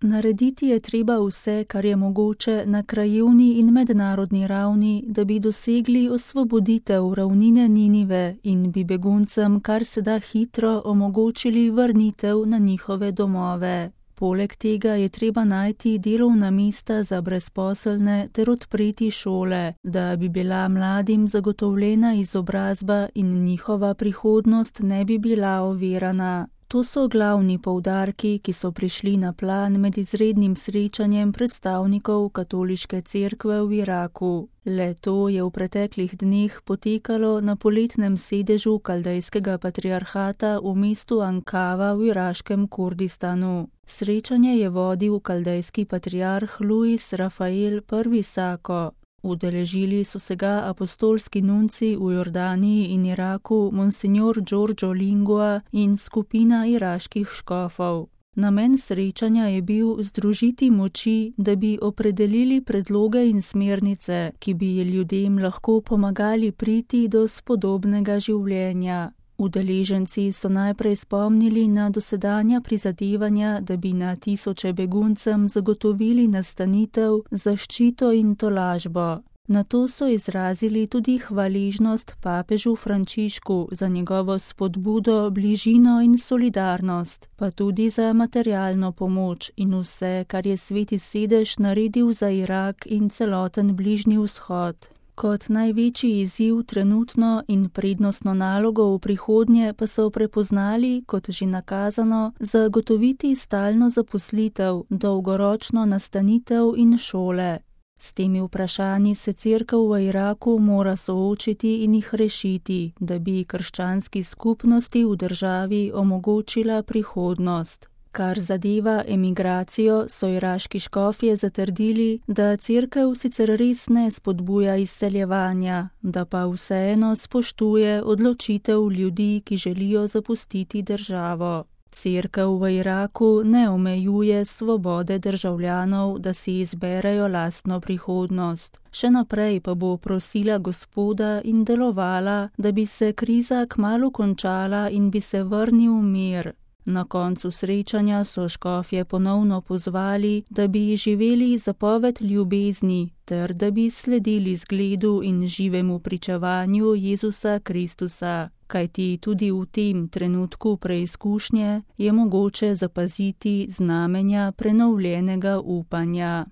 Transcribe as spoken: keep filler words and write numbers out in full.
Narediti je treba vse, kar je mogoče na krajevni in mednarodni ravni, da bi dosegli osvoboditev ravnine Ninive in bi beguncem kar se da hitro omogočili vrnitev na njihove domove. Poleg tega je treba najti delovna mesta za brezposelne ter odpreti šole, da bi bila mladim zagotovljena izobrazba in njihova prihodnost ne bi bila ovirana. To so glavni poudarki, ki so prišli na plan med izrednim srečanjem predstavnikov katoliške cerkve v Iraku. Le to je v preteklih dneh potekalo na poletnem sedežu kaldejskega patriarhata v mestu Ankava v iraškem Kurdistanu. Srečanje je vodil kaldejski patriarh Luis Rafael I. Sako. Udeležili so se ga apostolski nunci v Jordaniji in Iraku monsignor Giorgio Lingua in skupina iraških škofov. Namen srečanja je bil združiti moči, da bi opredelili predloge in smernice, ki bi ljudem lahko pomagali priti do spodobnega življenja. Udeleženci so najprej spomnili na dosedanja prizadevanja, da bi na tisoče beguncem zagotovili nastanitev, zaščito in tolažbo. Nato so izrazili tudi hvaležnost papežu Frančišku za njegovo spodbudo, bližino in solidarnost, pa tudi za materialno pomoč in vse, kar je Sveti sedež naredil za Irak in celoten Bližnji vzhod. Kot največji izziv trenutno in prednostno nalogo v prihodnje pa so prepoznali, kot že nakazano, zagotoviti stalno zaposlitev, dolgoročno nastanitev in šole. S temi vprašanji se cerkev v Iraku mora soočiti in jih rešiti, da bi krščanski skupnosti v državi omogočila prihodnost. Kar zadeva emigracijo, so iraški škofje zatrdili, da cerkev sicer res ne spodbuja izseljevanja, da pa vseeno spoštuje odločitev ljudi, ki želijo zapustiti državo. Cerkev v Iraku ne omejuje svobode državljanov, da si izberejo lastno prihodnost. Še naprej pa bo prosila Gospoda in delovala, da bi se kriza kmalu končala in bi se vrnil mir. Na koncu srečanja so škofje ponovno pozvali, da bi živeli zapoved ljubezni, ter da bi sledili zgledu in živemu pričevanju Jezusa Kristusa. Kajti tudi v tem trenutku preizkušnje je mogoče zapaziti znamenja prenovljenega upanja.